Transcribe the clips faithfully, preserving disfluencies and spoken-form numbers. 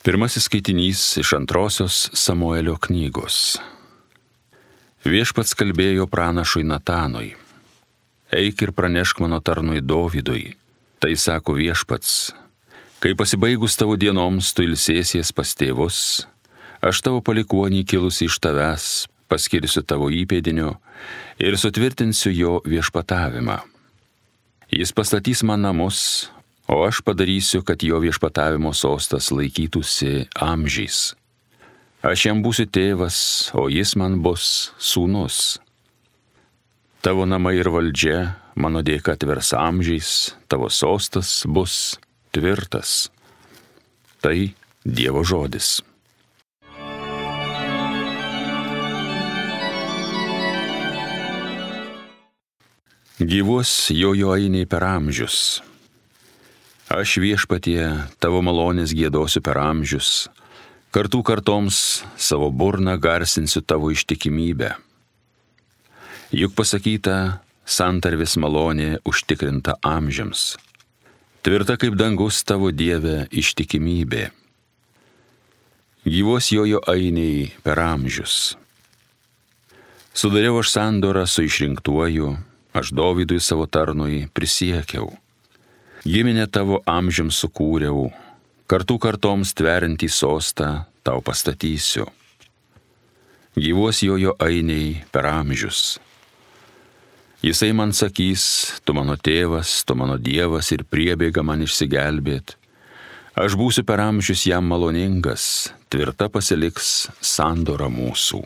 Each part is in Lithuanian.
Pirmasis skaitinys iš antrosios Samuelio knygos. Viešpats kalbėjo pranašui Natanui. Eik ir pranešk mano tarnui Dovydui. Tai sako viešpats. Kai pasibaigus tavo dienoms tu ilsėsies pas tėvus, aš tavo palikuonį kilusi iš tavęs paskirsiu tavo įpėdinio ir sutvirtinsiu jo viešpatavimą. Jis pastatys man namus, o aš padarysiu, kad jo viešpatavimo sostas laikytųsi amžiais. Aš jam būsiu tėvas, o jis man bus sūnus. Tavo namai ir valdžia mano dėka atvers amžiais, tavo sostas bus tvirtas. Tai Dievo žodis. Gyvuos jojo ainiai per amžius. Aš viešpatie tavo malonės giedosiu per amžius, kartų kartoms savo burną garsinsiu tavo ištikimybę. Juk pasakyta, santarvės malonė užtikrinta amžiams. Tvirta kaip dangus tavo Dieve ištikimybė. Gyvos jojo ainiai per amžius. Sudariau aš sandorą su išrinktuoju, aš Dovydui savo tarnui prisiekiau. Giminę tavo amžiams sukūriau, kartų kartoms tveriantį sostą tau pastatysiu. Gyvos jojo ainiai per amžius. Jisai man sakys, tu mano tėvas, tu mano Dievas ir priebėga man išsigelbėt. Aš būsiu per amžius jam maloningas, tvirta pasiliks sandora mūsų.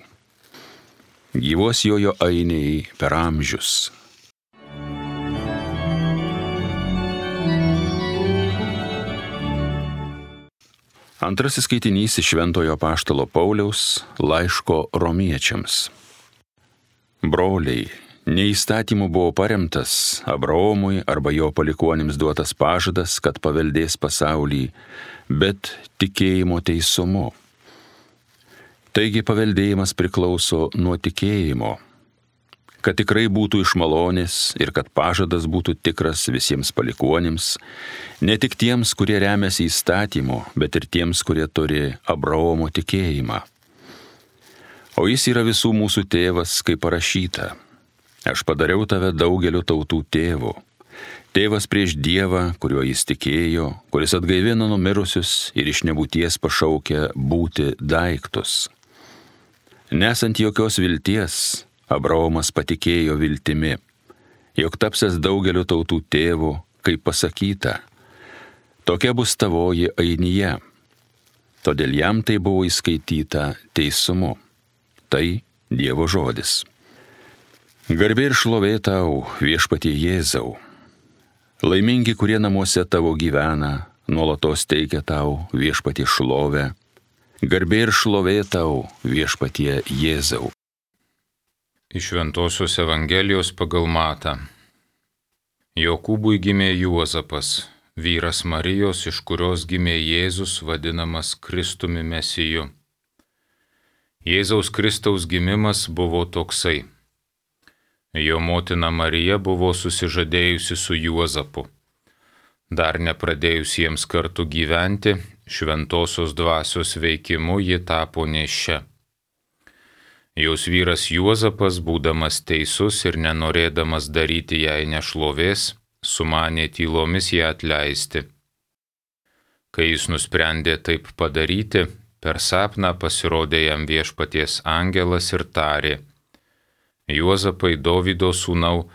Gyvos jojo ainiai per amžius. Antrasis skaitinys iš Šventojo apaštalo Pauliaus laiško romiečiams. Broliai, ne įstatymu buvo paremtas Abraomui arba jo palikuonims duotas pažadas, kad paveldės pasaulį, bet tikėjimo teisumu. Taigi paveldėjimas priklauso nuo tikėjimo, kad tikrai būtų iš malonės ir kad pažadas būtų tikras visiems palikuonims, ne tik tiems, kurie remiasi įstatymu, bet ir tiems, kurie turi Abraomo tikėjimą. O jis yra visų mūsų tėvas, kaip parašyta. Aš padariau tave daugeliu tautų tėvu. Tėvas prieš Dievą, kuriuo jis tikėjo, kuris atgaivino numirusius ir iš nebūties pašaukė būti daiktus. Nesant jokios vilties, Abraomas patikėjo viltimi, jog tapsies daugeliu tautų tėvu, kaip pasakyta. Tokia bus tavoji ainyje. Todėl jam tai buvo įskaityta teisumu. Tai Dievo žodis. Garbė ir šlovė tau, viešpatie Jėzau. Laimingi, kurie namuose tavo gyvena, nuolatos teikia tau viešpatie šlovę. Garbė ir šlovė tau, viešpatie Jėzau. Iš Šventosios Evangelijos pagal Matą. Jokūbui gimė Juozapas, vyras Marijos, iš kurios gimė Jėzus, vadinamas Kristumi Mesiju. Jėzaus Kristaus gimimas buvo toksai. Jo motina Marija buvo susižadėjusi su Juozapu. Dar nepradėjus jiems kartu gyventi, šventosios dvasios veikimu ji tapo nėščia. Jos vyras Juozapas, būdamas teisus ir nenorėdamas daryti jai nešlovės, sumanė tylomis ją atleisti. Kai jis nusprendė taip padaryti, per sapną pasirodė jam viešpaties angelas ir tarė: Juozapai, Dovydo sūnau,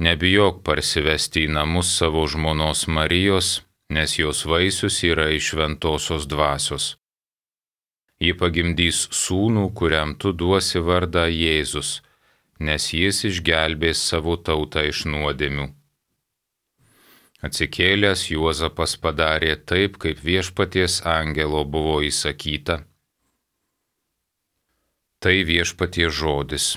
nebijok parsivesti į namus savo žmonos Marijos, nes jos vaisius yra iš šventosios dvasios. Ji pagimdys sūnų, kuriam tu duosi vardą Jėzus, nes jis išgelbės savo tautą iš nuodėmių. Atsikėlęs Juozapas padarė taip, kaip viešpaties angelo buvo įsakyta. Tai viešpaties žodis.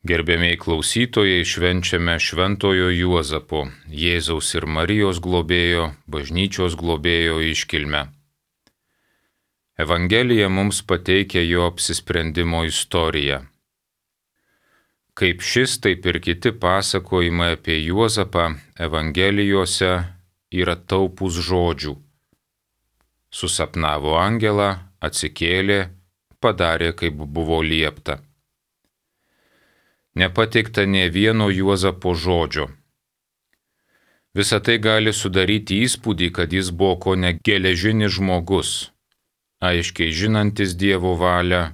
Gerbiamieji klausytojai, švenčiame šventojo Juozapo, Jėzaus ir Marijos globėjo, bažnyčios globėjo iškilmę. Evangelija mums pateikia jo apsisprendimo istoriją. Kaip šis, taip ir kiti pasakojimai apie Juozapą Evangelijose yra taupūs žodžių. Susapnavo angelą, atsikėlė, padarė, kaip buvo liepta. Nepateikta nė vieno Juozapo žodžio. Visą tai gali sudaryti įspūdį, kad jis buvo kone geležinis žmogus, aiškiai žinantis Dievo valią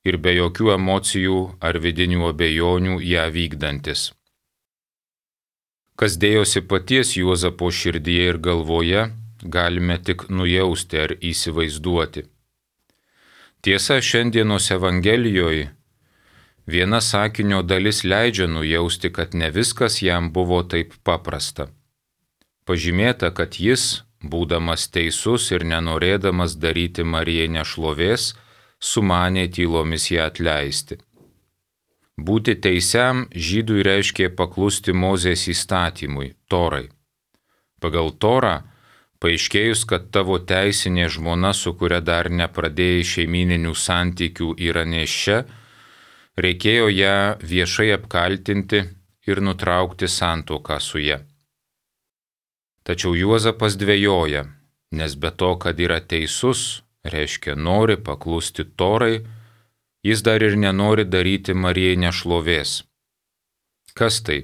ir be jokių emocijų ar vidinių abejonių ją vykdantis. Kas dėjosi paties Juozapo širdyje ir galvoje, galime tik nujausti ar įsivaizduoti. Tiesa, šiandienos Evangelijoje viena sakinio dalis leidžia nujausti, kad ne viskas jam buvo taip paprasta. Pažymėta, kad jis, būdamas teisus ir nenorėdamas daryti Marijai nešlovės, sumanė tylomis ją atleisti. Būti teisiam žydui reiškė paklusti Mozės įstatymui, Torai. Pagal Torą, paaiškėjus, kad tavo teisinė žmona, su kuria dar nepradėjai šeimininių santykių, yra nėščia, reikėjo ją viešai apkaltinti ir nutraukti santuoką su ja. Tačiau Juozapas dvejoja, nes be to, kad yra teisus, reiškia nori paklusti Torai, jis dar ir nenori daryti Marijai nešlovės. Kas tai?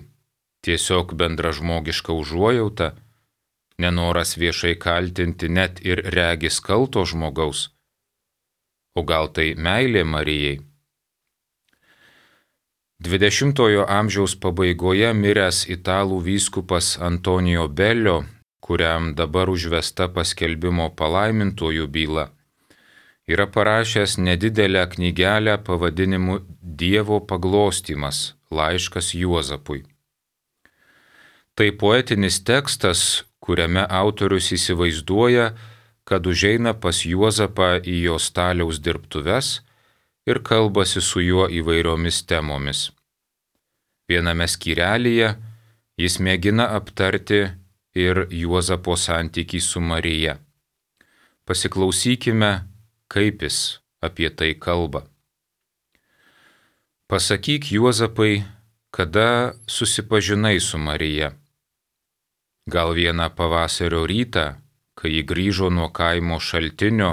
Tiesiog bendražmogiška užuojauta, nenoras viešai kaltinti net ir regis kalto žmogaus. O gal tai meilė Marijai? dvidešimtojo amžiaus pabaigoje miręs italų vyskupas Antonijo Belio, kuriam dabar užvesta paskelbimo palaimintojų byla, yra parašęs nedidelę knygelę pavadinimu Dievo paglostymas – laiškas Juozapui. Tai poetinis tekstas, kuriame autorius įsivaizduoja, kad užeina pas Juozapą į jo staliaus dirbtuves ir kalbasi su juo įvairiomis temomis. Viename skyrelyje jis mėgina aptarti ir Juozapo santykį su Marija. Pasiklausykime, kaip jis apie tai kalba. Pasakyk, Juozapai, kada susipažinai su Marija. Gal vieną pavasario rytą, kai ji grįžo nuo kaimo šaltinio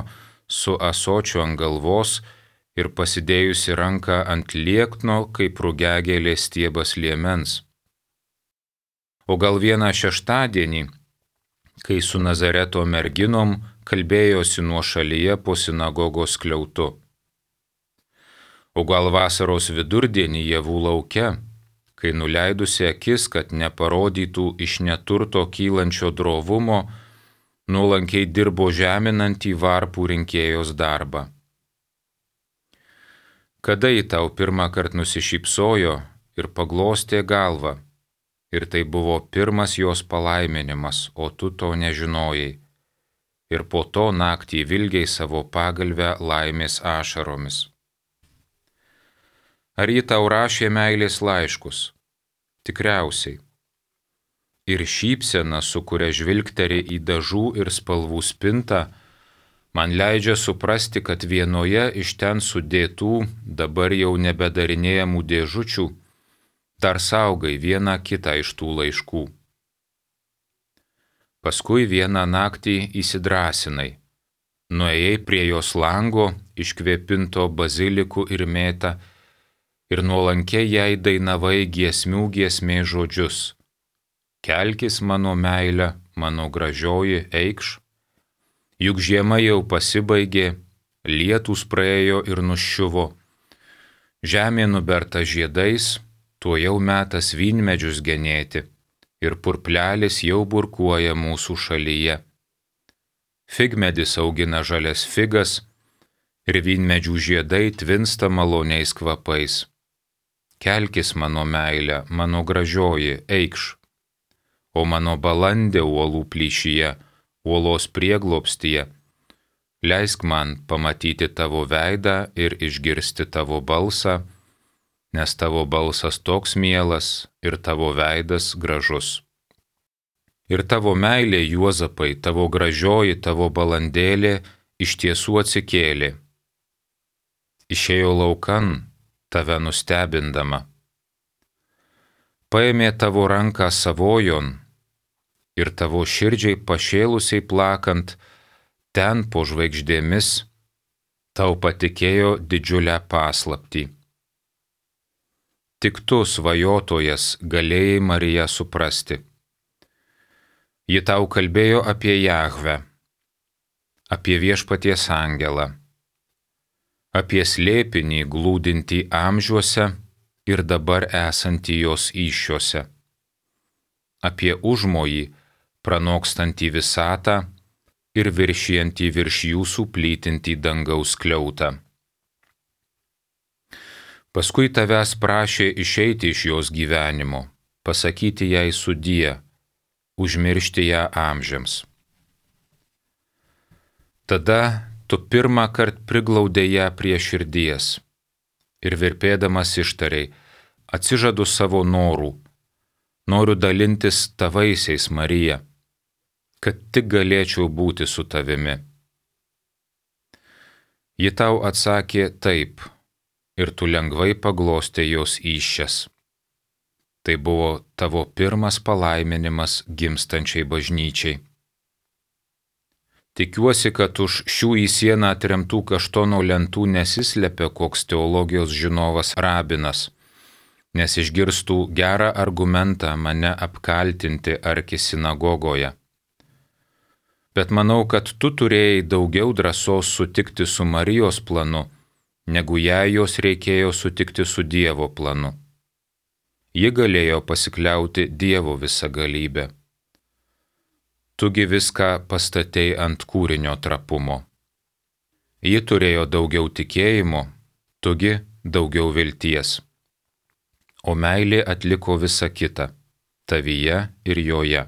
su ąsočiu ant galvos ir pasidėjusi ranką ant liekno, kaip rugiagėlės stiebas liemens. O gal vieną šeštadienį, kai su Nazareto merginom kalbėjosi nuošalyje po sinagogos skliautu. O gal vasaros vidurdienį javų lauke, kai nuleidusi akis, kad neparodytų iš neturto kylančio drovumo, nuolankiai dirbo žeminantį varpų rinkėjos darbą. Kada ji tau pirmą kartą nusišypsojo ir paglostė galvą, ir tai buvo pirmas jos palaiminimas, o tu to nežinojai. Ir po to naktį vilgiai savo pagalvę laimės ašaromis. Ar ji tau rašė meilės laiškus? Tikriausiai. Ir šypsena, su kuria žvilgteri į dažų ir spalvų spintą, man leidžia suprasti, kad vienoje iš ten sudėtų, dabar jau nebedarinėjamų dėžučių, dar saugai vieną kitą iš tų laiškų. Paskui vieną naktį įsidrasinai, nuėjai prie jos lango, iškvėpinto bazilikų ir mėta, ir nuolankiai jai dainavai giesmių giesmės žodžius. Kelkis mano meilė, mano gražioji, eikš. Juk žiema jau pasibaigė, lietūs praėjo ir nuščiuvo. Žemė nuberta žiedais, tuo jau metas vynmedžius genėti. Ir purplelis jau burkuoja mūsų šalyje. Figmedis augina žalias figas, ir vynmedžių žiedai tvinsta maloniais kvapais. Kelkis mano meilė, mano gražioji, eikš. O mano balandė uolų plyšyje, uolos prieglobstyje, leisk man pamatyti tavo veidą ir išgirsti tavo balsą, nes tavo balsas toks mielas ir tavo veidas gražus. Ir tavo meilė, Juozapai, tavo gražioji, tavo balandėlė iš tiesų atsikėlė. Išėjo laukan, tave nustebindama. paėmė tavo ranką savojon ir tavo širdžiai pašėlusiai plakant, ten po žvaigždėmis tau patikėjo didžiulę paslaptį. Tik tu, svajotojas, galėjai Mariją suprasti. Ji tau kalbėjo apie Jahvę, apie viešpaties angelą, apie slėpinį glūdintį amžiuose ir dabar esantį jos įsčiuose, apie užmojį pranokstantį visatą ir viršijantį virš jūsų plytintį dangaus skliautą. Paskui tavęs prašė išeiti iš jos gyvenimo, pasakyti jai sudie, užmiršti ją amžiams. Tada tu pirmą kartą priglaudė ją prie širdies ir virpėdamas ištarei, atsižadu savo norų, noriu dalintis tavaisiais, Marija, kad tik galėčiau būti su tavimi. Ji tau atsakė taip, ir tu lengvai paglostė jos įsčias. Tai buvo tavo pirmas palaiminimas gimstančiai bažnyčiai. Tikiuosi, kad už šių į sieną atremtų kaštono lentų nesislepia koks teologijos žinovas rabinas, nes išgirstų gerą argumentą mane apkaltinti arki sinagogoje. Bet manau, kad tu turėjai daugiau drąsos sutikti su Marijos planu, negu jai jos reikėjo sutikti su Dievo planu. Ji galėjo pasikliauti Dievo visagalybę. Tugi viską pastatei ant kūrinio trapumo. Ji turėjo daugiau tikėjimo, tugi daugiau vilties. O meilė atliko visą kitą, tavyje ir joje.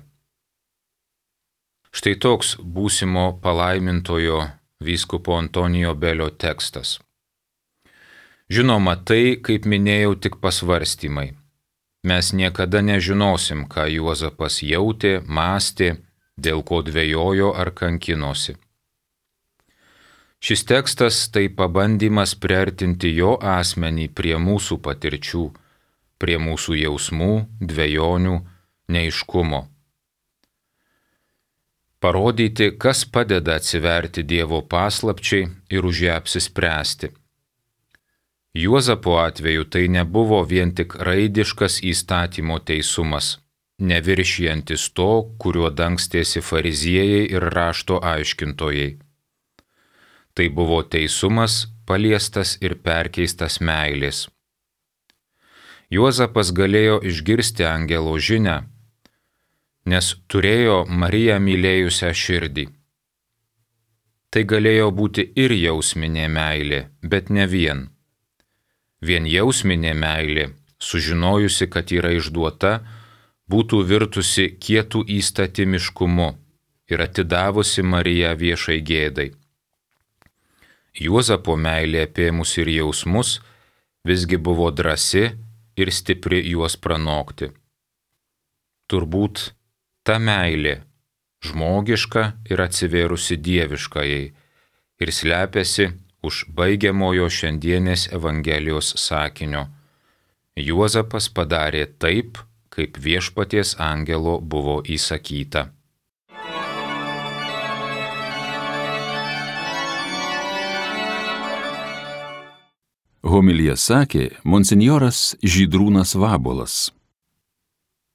Štai toks būsimo palaimintojo vyskupo Antonijo Belio tekstas. Žinoma, tai, kaip minėjau, tik pasvarstymai. Mes niekada nežinosim, ką Juozapas jautė, mąstė, dėl ko dvejojo ar kankinosi. Šis tekstas tai pabandymas priartinti jo asmenį prie mūsų patirčių, prie mūsų jausmų, dvejonių, neaiškumo. Parodyti, kas padeda atsiverti Dievo paslapčiai ir už ją apsispręsti. Juozapo atveju tai nebuvo vien tik raidiškas įstatymo teisumas, neviršijantis to, kuriuo dangstėsi fariziejai ir rašto aiškintojai. Tai buvo teisumas, paliestas ir perkeistas meilės. Juozapas galėjo išgirsti angelo žinią, nes turėjo Mariją mylėjusią širdį. Tai galėjo būti ir jausminė meilė, bet ne vien. Vien jausminė meilė, sužinojusi, kad yra išduota, būtų virtusi kietų įstatymiškumu ir atidavusi Mariją viešai gėdai. Juozapo meilė apėmus ir jausmus visgi buvo drąsi ir stipri juos pranokti. Turbūt ta meilė, žmogiška ir atsivėrusi dieviškajai, ir slepiasi už baigiamojo šiandienės Evangelijos sakinio. Juozapas padarė taip, kaip viešpaties angelo buvo įsakyta. Homiliją sakė monsinjoras Žydrūnas Vabuolas.